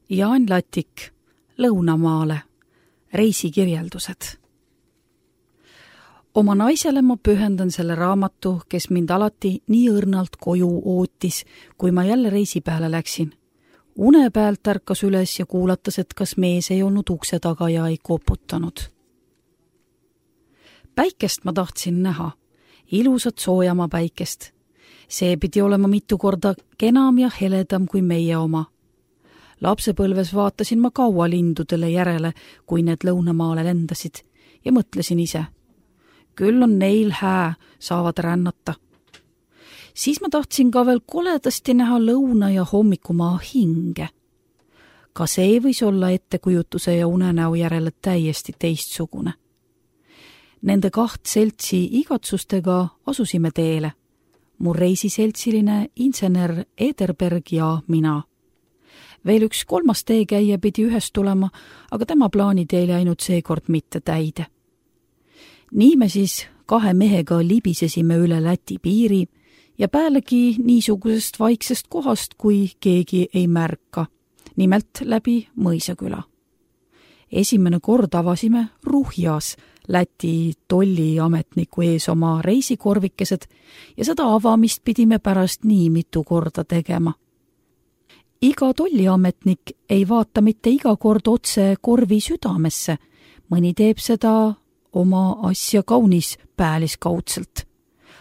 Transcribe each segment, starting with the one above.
Jaan Latik, Lõunamaale, reisikirjeldused. Oma naisele ma pühendan selle raamatu, kes mind alati nii õrnalt koju ootis, kui ma jälle reisi peale läksin. Une pealt ärkas üles ja kuulatas, et kas mees ei olnud ukse taga ja ei koputanud. Päikest ma tahtsin näha, ilusat soojama päikest. See pidi olema mitu korda kenam ja heledam kui meie oma. Lapsepõlves vaatasin ma kaua lindudele järele, kui need Lõunamaale lendasid, ja mõtlesin ise. Küll on neil hää, saavad rännata. Siis ma tahtsin ka veel koledasti näha lõuna ja hommikumaa hinge. Ka see võis olla ettekujutuse ja unenäo järele täiesti teistsugune. Nende 2 seltsi igatsustega asusime teele. Mu reisiseltsiline insener Ederberg ja mina. Veel üks 3. teekäija pidi ühest tulema, aga tema plaanid ei läinud seekord mitte täide. Nii me siis 2 mehega libisesime üle Läti piiri ja pealegi niisugusest vaiksest kohast, kui keegi ei märka, nimelt läbi Mõisaküla. Esimene kord avasime Ruhjas Läti tolliametniku ees oma reisikorvikesed ja seda avamist pidime pärast nii mitu korda tegema. Iga tolliametnik ei vaata mitte iga kord otse korvi südamesse, mõni teeb seda oma asja kaunis pääliskaudselt.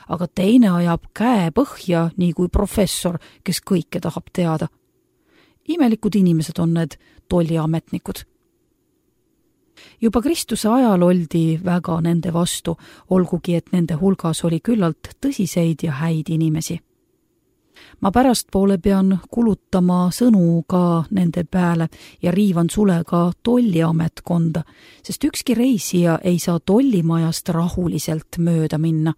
Aga teine ajab käe põhja, nii kui professor, kes kõike tahab teada. Imelikud inimesed on need tolliametnikud. Juba Kristuse ajal oldi väga nende vastu, olgugi et nende hulgas oli küllalt tõsiseid ja häid inimesi. Ma pärastpoole pean kulutama sõnu ka nende peale ja riivan sulega tolliametkonda, sest ükski reisija ei saa tollimajast rahuliselt mööda minna.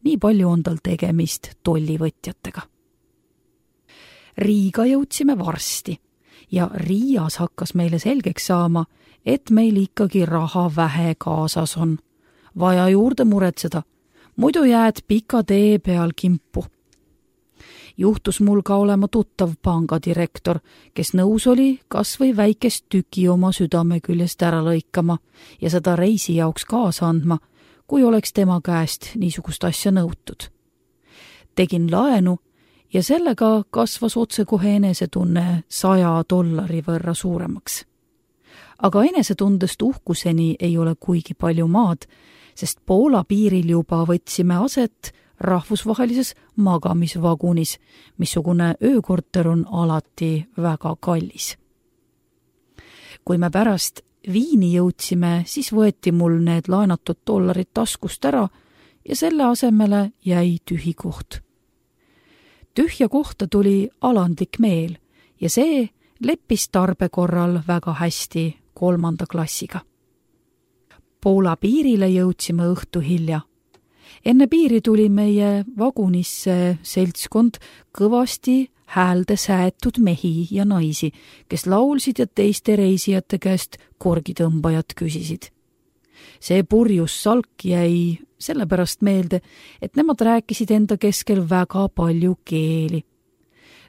Nii palju on tal tegemist tollivõtjatega. Riiga jõudsime varsti ja Riias hakkas meile selgeks saama, et meil ikkagi raha vähe kaasas on. Vaja juurde muretseda, muidu jääd pika tee peal kimpu. Juhtus mul ka olema tuttav pangadirektor, kes nõus oli kas või väikest tüki oma südame küljest ära lõikama ja seda reisi jaoks kaasa andma, kui oleks tema käest niisugust asja nõutud. Tegin laenu ja sellega kasvas otsekohe enesetunne $100 võrra suuremaks. Aga enesetundest uhkuseni ei ole kuigi palju maad, sest Poola piiril juba võtsime aset rahvusvahelises magamisvagunis, missugune öökorter on alati väga kallis. Kui me pärast Viini jõudsime, siis võeti mul need laenatud $1 taskust ära ja selle asemele jäi tühi koht. Tühja kohta tuli alandlik meel ja see leppis tarbe korral väga hästi 3. klassiga. Poola piirile jõudsime õhtu hilja. Enne piiri tuli meie vagunisse seltskond kõvasti häälde säätud mehi ja naisi, kes laulsid ja teiste reisijate käest korgitõmbajad küsisid. See purjus salk jäi sellepärast meelde, et nemad rääkisid enda keskel väga palju keeli.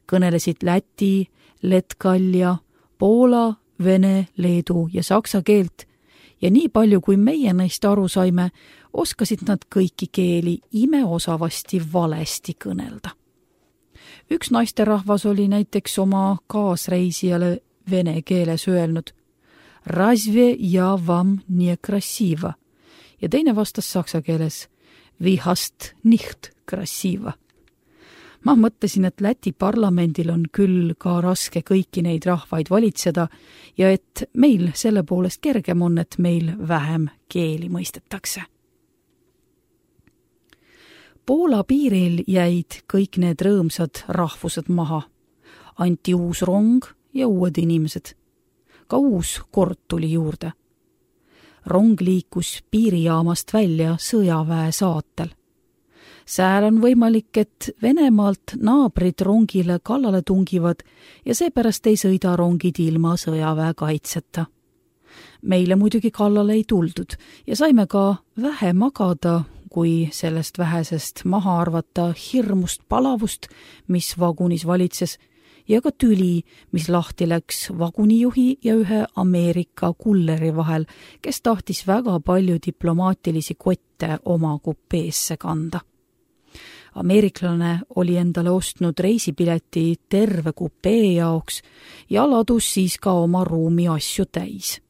Kõnelesid läti, letkalja, poola, vene, leedu ja saksa keelt ja nii palju, kui meie neist aru saime, oskasid nad kõiki keeli imeosavasti valesti kõnelda. Üks naisterahvas oli näiteks oma kaasreisijale vene keeles öelnud Razve ja vam nie krasiva ja teine vastas saksa keeles Vi hast nicht krasiva. Ma mõtlesin, et Läti parlamendil on küll ka raske kõiki neid rahvaid valitseda ja et meil selle poolest kergem on, et meil vähem keeli mõistetakse. Poola piiril jäid kõik need rõõmsad rahvused maha. Anti uus rong ja uued inimesed. Ka uus kord tuli juurde. Rong liikus piirijaamast välja sõjaväe saatel. Sääl on võimalik, et Venemaalt naabrid rongile kallale tungivad ja seepärast ei sõida rongid ilma sõjaväe kaitseta. Meile muidugi kallale ei tuldud ja saime ka vähe magada, kui sellest vähesest maha arvata hirmust palavust, mis vagunis valitses, ja ka tüli, mis lahti läks vagunijuhi ja ühe Ameerika kulleri vahel, kes tahtis väga palju diplomaatilisi kotte oma kupeesse kanda. Ameeriklane oli endale ostnud reisipileti terve kupee jaoks ja ladus siis ka oma ruumi asju täis.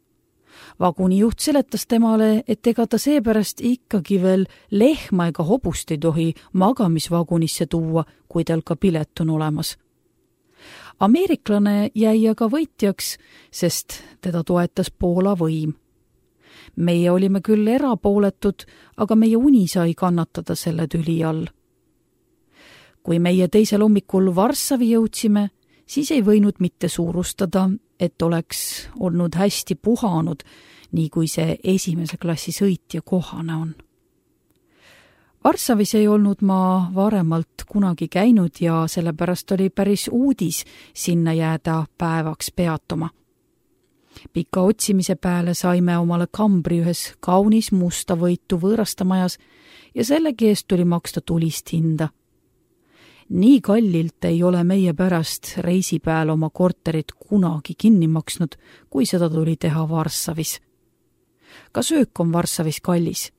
Vagunijuht seletas temale, et ega ta seepärast ikkagi veel lehma ega hobust ei tohi magamisvagunisse tuua, kui tal ka pilet on olemas. Ameeriklane jäi aga võitjaks, sest teda toetas Poola võim. Meie olime küll erapooletud, aga meie uni sai kannatada selle tüli all. Kui meie teisel hommikul Varssavi jõudsime, siis ei võinud mitte suurustada, et oleks olnud hästi puhanud, nii kui see esimese klassi sõitja kohane on. Varssavis ei olnud ma varemalt kunagi käinud ja sellepärast oli päris uudis sinna jääda päevaks peatuma. Pika otsimise peale saime omale kambri ühes kaunis musta võitu võõrastamajas ja sellegi eest tuli maksta tulist hinda. Nii kallilt ei ole meie pärast reisipäeval oma korterit kunagi kinni maksnud, kui seda tuli teha Varssavis. Ka söök on Varssavis kallis.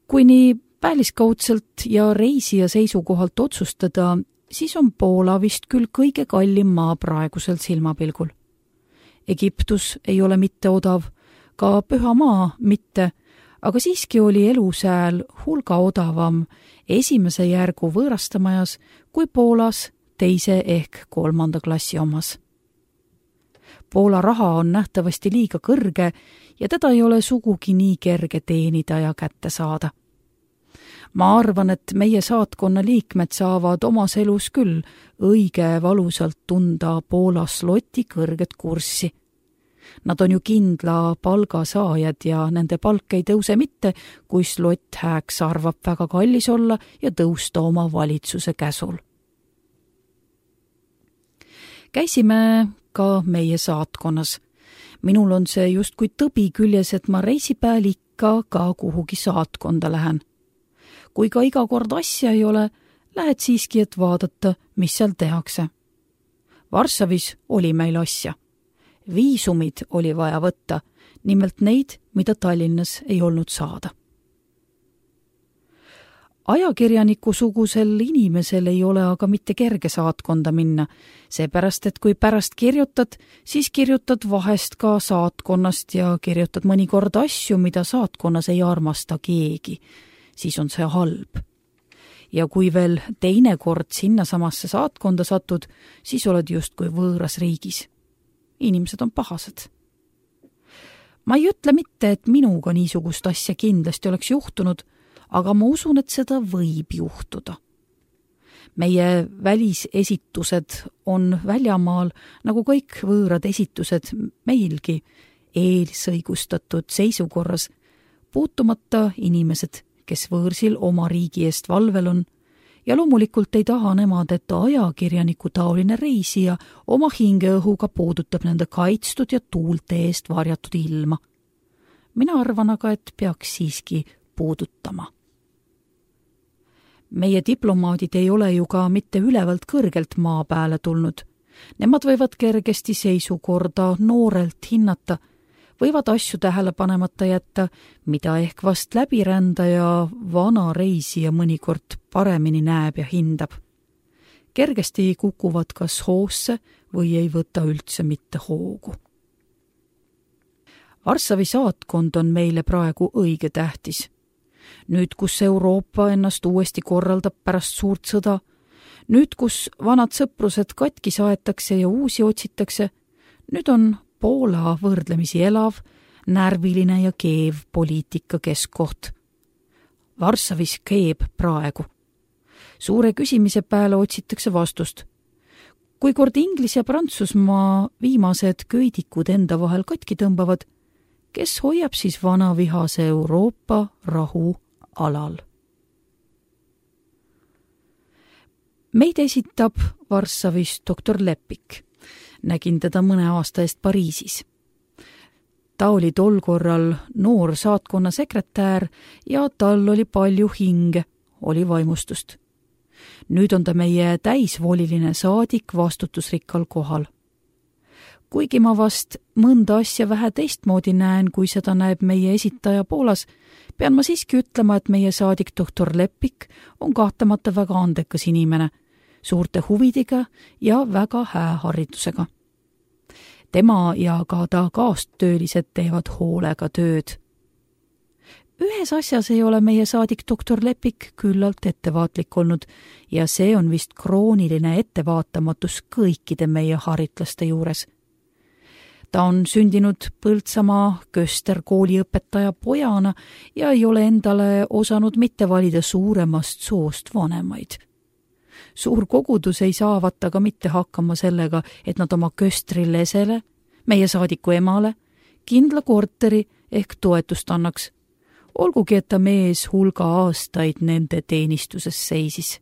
Kui nii päliskaudselt ja reisija seisukohalt otsustada, siis on Poola vist küll kõige kallim maa praegusel silmapilgul. Egiptus ei ole mitte odav, ka Püha maa mitte, aga siiski oli elu sääl hulga odavam esimese järgu võõrastamajas kui Poolas teise ehk 3. klassi omas. Poola raha on nähtavasti liiga kõrge ja teda ei ole sugugi nii kerge teenida ja kätte saada. Ma arvan, et meie saatkonna liikmed saavad omas elus küll õige valusalt tunda Poola sloti kõrget kurssi. Nad on ju kindla palgasaajad ja nende palk ei tõuse mitte, kui slott hääks arvab väga kallis olla ja tõusta oma valitsuse käsul. Käisime ka meie saatkonnas. Minul on see justkui tõbi küljes, et ma reisipäeval ikka ka kuhugi saatkonda lähen. Kui ka iga kord asja ei ole, lähed siiski, et vaadata, mis seal tehakse. Varssavis oli meil asja. Viisumid oli vaja võtta, nimelt neid, mida Tallinnas ei olnud saada. Ajakirjaniku sugusel inimesel ei ole aga mitte kerge saatkonda minna, seepärast, et kui pärast kirjutad, siis kirjutad vahest ka saatkonnast ja kirjutad mõnikord asju, mida saatkonnas ei armasta keegi, siis on see halb. Ja kui veel teine kord sinnasamasse saatkonda satud, siis oled justkui võõras riigis. Inimesed on pahased. Ma ei ütle mitte, et minuga niisugust asja kindlasti oleks juhtunud, aga ma usun, et seda võib juhtuda. Meie välisesitused on väljamaal, nagu kõik võõrad esitused meilgi, eelisõigustatud seisukorras, puutumata inimesed, kes võõrsil oma riigi eest valvel on, ja loomulikult ei taha nemad, et ajakirjaniku taoline reisija oma hingeõhuga puudutab nende kaitstud ja tuulte eest varjatud ilma. Mina arvan aga, et peaks siiski puudutama. Meie diplomaadid ei ole ju ka mitte ülevalt kõrgelt maa peale tulnud. Nemad võivad kergesti seisukorda noorelt hinnata, võivad asju tähele panemata jätta, mida ehk vast läbirändaja vana reisija mõnikord paremini näeb ja hindab. Kergesti kukuvad kas hoosse või ei võta üldse mitte hoogu. Varssavi saatkond on meile praegu õige tähtis. Nüüd, kus Euroopa ennast uuesti korraldab pärast suurt sõda, nüüd, kus vanad sõprused katki saetakse ja uusi otsitakse, nüüd on Poola võrdlemisi elav, närviline ja keev poliitika keskkoht. Varssavis keeb praegu. Suure küsimise peale otsitakse vastust. Kui kord Inglis ja Prantsusmaa viimased köidikud enda vahel katki tõmbavad, kes hoiab siis vana vihase Euroopa rahu alal? Meid esitab Varssavis doktor Lepik. Nägin teda mõne aasta eest Pariisis. Ta oli tol korral noor saatkonna sekretär ja tal oli palju hinge, oli vaimustust. Nüüd on ta meie täisvoliline saadik vastutusrikkal kohal. Kuigi ma vast mõnda asja vähe teistmoodi näen, kui seda näeb meie esitaja Poolas, pean ma siiski ütlema, et meie saadik doktor Leppik on kahtlemata väga andekas inimene, suurte huvidega ja väga hää haridusega. Tema ja ka ta kaastöölised teevad hoolega tööd. Ühes asjas ei ole meie saadik doktor Leppik küllalt ettevaatlik olnud ja see on vist krooniline ettevaatamatus kõikide meie haritlaste juures. Ta on sündinud Põltsamaa Köster kooliõpetaja pojana ja ei ole endale osanud mitte valida suuremast soost vanemaid. Suur kogudus ei saavat aga mitte hakkama sellega, et nad oma Köstri lesele, meie saadiku emale, kindla korteri ehk toetust annaks, olgugi et ta mees hulga aastaid nende teenistuses seisis.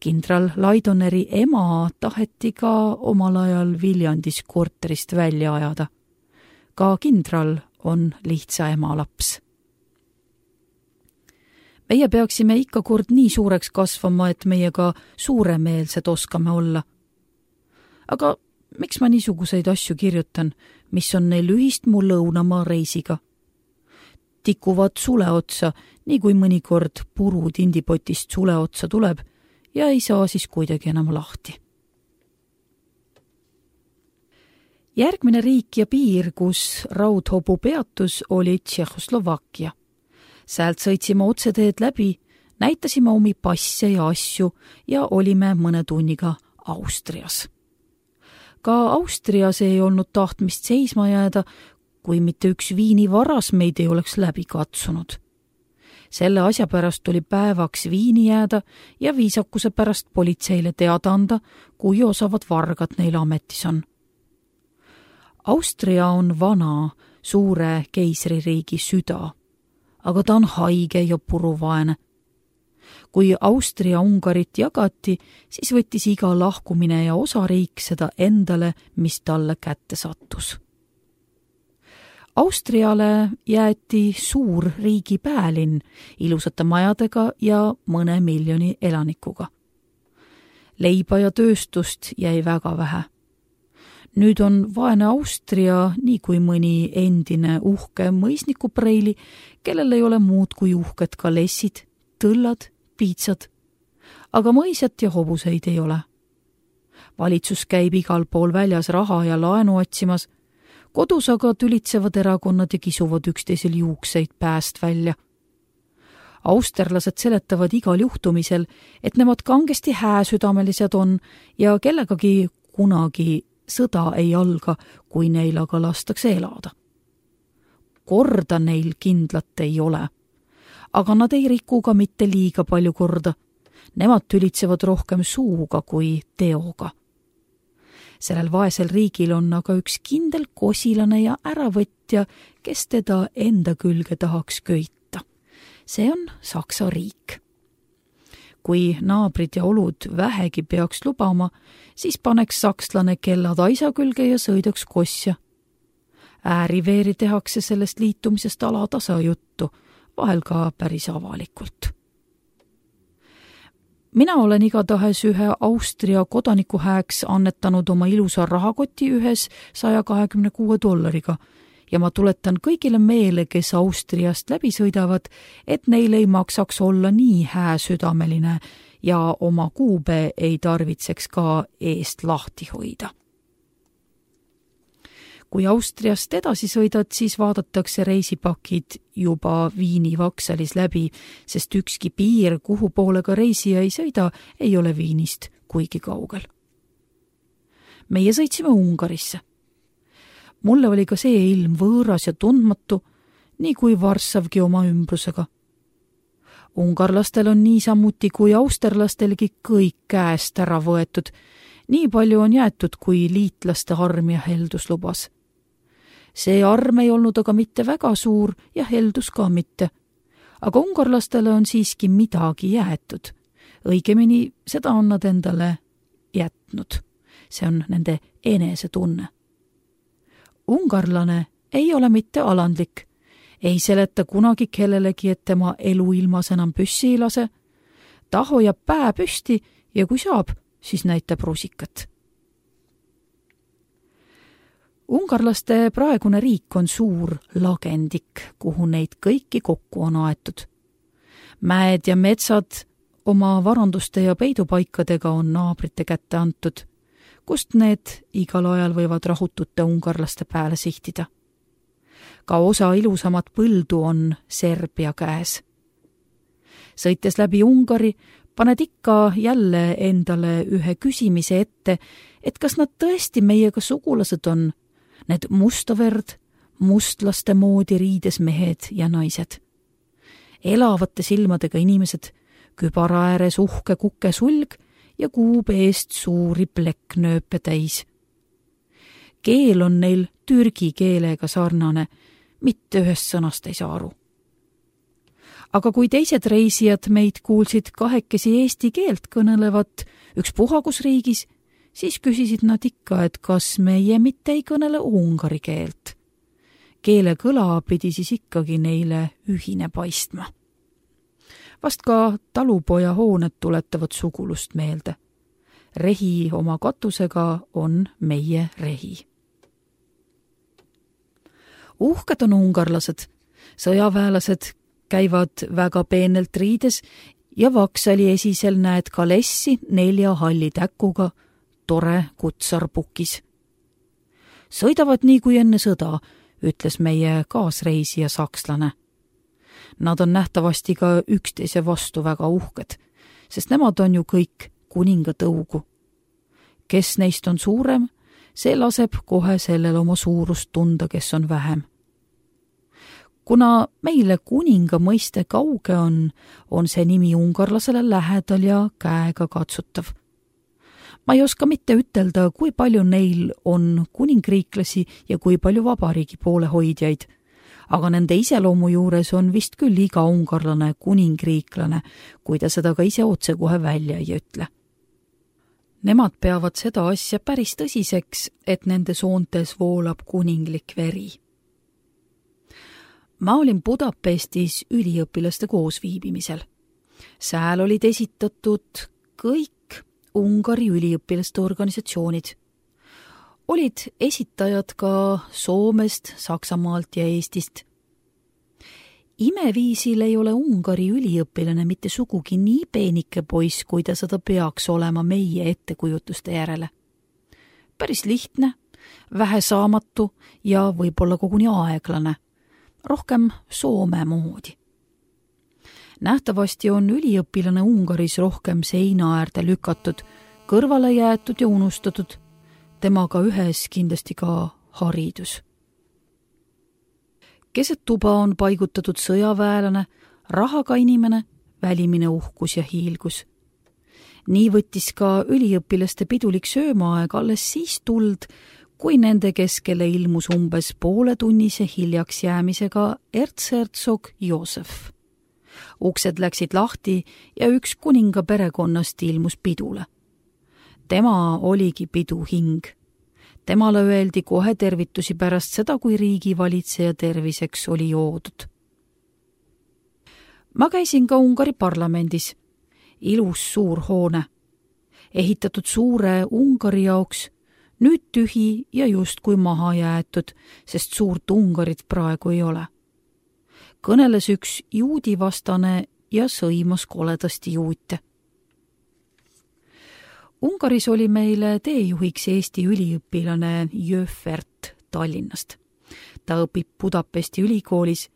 Kindral Laidoneri ema taheti ka omal ajal Viljandis korterist välja ajada. Ka kindral on lihtsa ema laps. Meie peaksime ikka kord nii suureks kasvama, et meiega suuremeelsed oskame olla. Aga miks ma niisuguseid asju kirjutan, mis on neil ühist mu lõunamaa reisiga? Tikuvad suleotsa, nii kui mõnikord puru tindipotist suleotsa tuleb ja ei saa siis kuidagi enam lahti. Järgmine riik ja piir, kus raudhobu peatus, oli Tšehhoslovakkia. Säält sõitsime otseteed läbi, näitasime omi passe ja asju ja olime mõne tunniga Austrias. Ka Austrias ei olnud tahtmist seisma jääda, kui mitte üks Viini varas meid ei oleks läbi katsunud. Selle asja pärast tuli päevaks Viini jääda ja viisakuse pärast politseile teada anda, kui osavad vargad neil ametis on. Austria on vana, suure keisririigi süda, aga ta on haige ja puruvaene. Kui Austria-Ungarit jagati, siis võttis iga lahkumine ja osariik seda endale, mis talle kätte sattus. Austriale jäeti suur riigi päälinn ilusate majadega ja mõne miljoni elanikuga. Leiba ja tööstust jäi väga vähe. Nüüd on vaene Austria nii kui mõni endine uhke mõisnikupreili, kellel ei ole muud kui uhked kalessid, tõllad, piitsad, aga mõisat ja hobuseid ei ole. Valitsus käib igal pool väljas raha ja laenu otsimas, kodus aga tülitsevad erakonnad ja kisuvad üksteisel juukseid pääst välja. Austerlased seletavad igal juhtumisel, et nemad kangesti hääsüdamelised on ja kellegagi kunagi sõda ei alga, kui neil aga lastakse elada. Korda neil kindlat ei ole, aga nad ei riku ka mitte liiga palju korda. Nemad tülitsevad rohkem suuga kui teoga. Sellel vaesel riigil on aga üks kindel kosilane ja äravõtja, kes teda enda külge tahaks köita. See on Saksa riik. Kui naabrid ja olud vähegi peaks lubama, siis paneks sakslane kellad aisa külge ja sõidaks kosja. Ääriveeri tehakse sellest liitumisest alatasa juttu, vahel ka päris avalikult. Mina olen igatahes ühe Austria kodaniku hääks annetanud oma ilusa rahakoti ühes $126 ja ma tuletan kõigile meele, kes Austriast läbi sõidavad, et neil ei maksaks olla nii hääsüdameline ja oma kuube ei tarvitseks ka eest lahti hoida. Kui Austriast edasi sõidad, siis vaadatakse reisipakid juba Viini vaksalis läbi, sest ükski piir, kuhu poole ka reisija ei sõida, ei ole Viinist kuigi kaugel. Meie sõitsime Ungarisse. Mulle oli ka see ilm võõras ja tundmatu, nii kui Varssavgi oma ümbrusega. Ungarlastel on niisamuti kui austerlastelgi kõik käest ära võetud. Nii palju on jäetud, kui liitlaste arm ja heldus lubas. See arm ei olnud aga mitte väga suur ja heldus ka mitte. Aga ungarlastele on siiski midagi jäetud. Õigemini seda on nad endale jätnud. See on nende enesetunne. Ungarlane ei ole mitte alandlik. Ei seleta kunagi kellelegi, et tema eluilmas enam püssi ei lase. ta hoiab pää püsti ja kui saab, siis näitab rusikat. Ungarlaste praegune riik on suur lagendik, kuhu neid kõiki kokku on aetud. Mäed ja metsad oma varanduste ja peidupaikadega on naabrite kätte antud, kust need igal ajal võivad rahutute ungarlaste pääle sihtida. Ka osa ilusamat põldu on Serbia käes. Sõites läbi Ungari, paned ikka jälle endale ühe küsimise ette, et kas nad tõesti meiega sugulased on, need mustaverd, mustlaste moodi riides mehed ja naised. Elavate silmadega inimesed, kübara ääres uhke kuke sulg ja kuub eest suuri plekknööpe täis. Keel on neil türgi keelega sarnane, mitte ühest sõnast ei saa aru. Aga kui teised reisijad meid kuulsid kahekesi eesti keelt kõnelevat ükspuhagusriigis, siis küsisid nad ikka, et kas meie mitte ei kõnele ungari keelt. Keele kõla pidi siis ikkagi neile ühine paistma. Vast ka talupoja hooned tuletavad sugulust meelde. Rehi oma katusega on meie rehi. Uhked on ungarlased, sõjaväelased käivad väga peenelt riides ja Vaksali esisel näed kalessi 4 halli täkuga, tore kutsarpukis. Sõidavad nii kui enne sõda, ütles meie kaasreisija sakslane. Nad on nähtavasti ka üksteise vastu väga uhked, sest nemad on ju kõik kuninga tõugu. Kes neist on suurem, see laseb kohe sellel oma suurust tunda, kes on vähem. Kuna meile kuninga mõiste kauge on see nimi ungarlasele lähedal ja käega katsutav. Ma ei oska mitte ütelda, kui palju neil on kuningriiklasi ja kui palju vabariigi poolehoidjaid, aga nende iseloomu juures on vist küll iga ungarlane kuningriiklane, kui ta seda ka ise otsekohe välja ei ütle. Nemad peavad seda asja päris tõsiseks, et nende soontes voolab kuninglik veri. Ma olin Budapestis üliõpilaste koosviibimisel. Sääl olid esitatud kõik Ungari üliõpilaste organisatsioonid. Olid esitajad ka Soomest, Saksamaalt ja Eestist. Imeviisil ei ole Ungari üliõpilane mitte sugugi nii peenike poiss, kui ta seda peaks olema meie ettekujutuste järele. Päris lihtne, vähesaamatu ja võib-olla koguni aeglane. Rohkem Soome moodi. Nähtavasti on üliõpilane Ungaris rohkem seina äärde lükatud, kõrvale jäetud ja unustatud, temaga ühes kindlasti ka haridus. Keset tuba on paigutatud sõjaväelane, rahaga inimene, välimine uhkus ja hiilgus. Nii võttis ka üliõpilaste pidulik söömaaeg alles siis tuld, kui nende keskele ilmus umbes pooletunnise hiljaks jäämisega erzherzog Joosef. Uksed läksid lahti ja üks kuninga perekonnast ilmus pidule. Tema oligi pidu hing. Temale öeldi kohe tervitusi pärast seda, kui riigivalitseja terviseks oli joodud. Ma käisin ka Ungari parlamendis. Ilus suur hoone. Ehitatud suure Ungari jaoks, nüüd tühi ja justkui maha jäetud, sest suurt Ungarit praegu ei ole. Kõneles üks juudivastane ja sõimas koledasti juute. Ungaris oli meile teejuhiks Eesti üliõpilane Jöfert Tallinnast. Ta õpib Budapesti ülikoolis,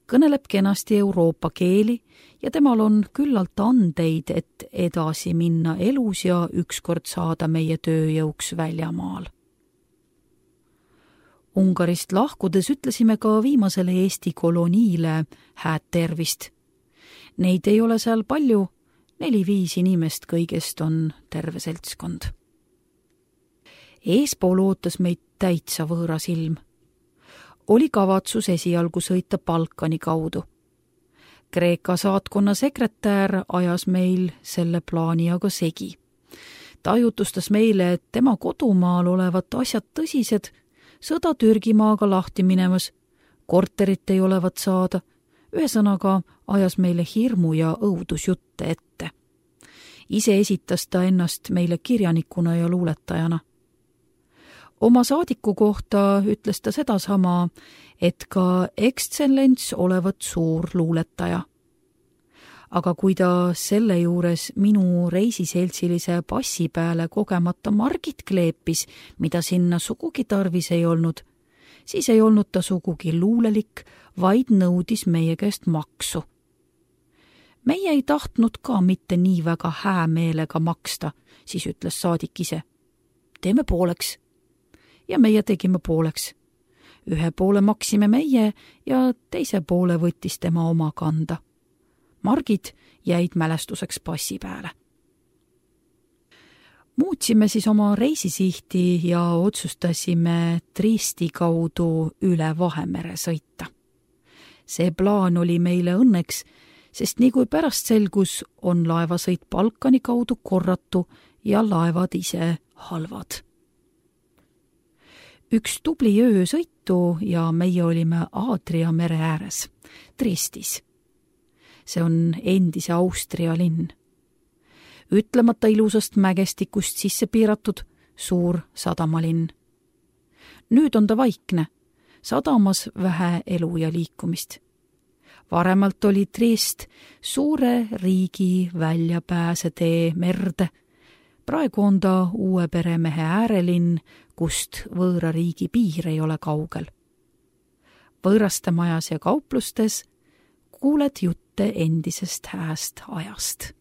kõneleb kenasti Euroopa keeli ja temal on küllalt andeid, et edasi minna elus ja ükskord saada meie tööjõuks väljamaal. Ungarist lahkudes ütlesime ka viimasele Eesti koloniile hääd tervist. Neid ei ole seal palju, 4-5 inimest kõigest on terve seltskond. Eespool ootas meid täitsa võõras ilm. Oli kavatsus esialgu sõita Balkani kaudu. Kreeka saatkonna sekretär ajas meil selle plaani aga segi. Ta jutustas meile, et tema kodumaal olevat asjad tõsised, sõda Türgimaaga lahti minemas, korterit ei olevat saada, ühesõnaga ajas meile hirmu ja õudusjutte ette. Ise esitas ta ennast meile kirjanikuna ja luuletajana. Oma saadiku kohta ütles ta sedasama, et ka ekstsellents olevat suur luuletaja. Aga kui ta selle juures minu reisiseltsilise passi peale kogemata margid kleepis, mida sinna sugugi tarvis ei olnud, siis ei olnud ta sugugi luulelik, vaid nõudis meie käest maksu. Meie ei tahtnud ka mitte nii väga häämeelega maksta, siis ütles saadik ise. Teeme pooleks. Ja meie tegime pooleks. Ühe poole maksime meie ja teise poole võttis tema oma kanda. Margid jäid mälestuseks passi peale. Muutsime siis oma reisisihti ja otsustasime Triesti kaudu üle Vahemere sõita. See plaan oli meile õnneks, sest nii kui pärast selgus, on laevasõit Balkani kaudu korratu ja laevad ise halvad. Üks tubli öö sõitu ja meie olime Aadria mere ääres, Triestis. See on endise Austria linn. Ütlemata ilusast mägestikust sisse piiratud suur sadamalinn. Nüüd on ta vaikne, sadamas vähe elu ja liikumist. Varemalt oli Triest suure riigi väljapääsetee merde. Praegu on ta uue peremehe äärelinn, kust võõra riigi piir ei ole kaugel. Võõraste majas ja kauplustes kuuled jutte endisest hääst ajast.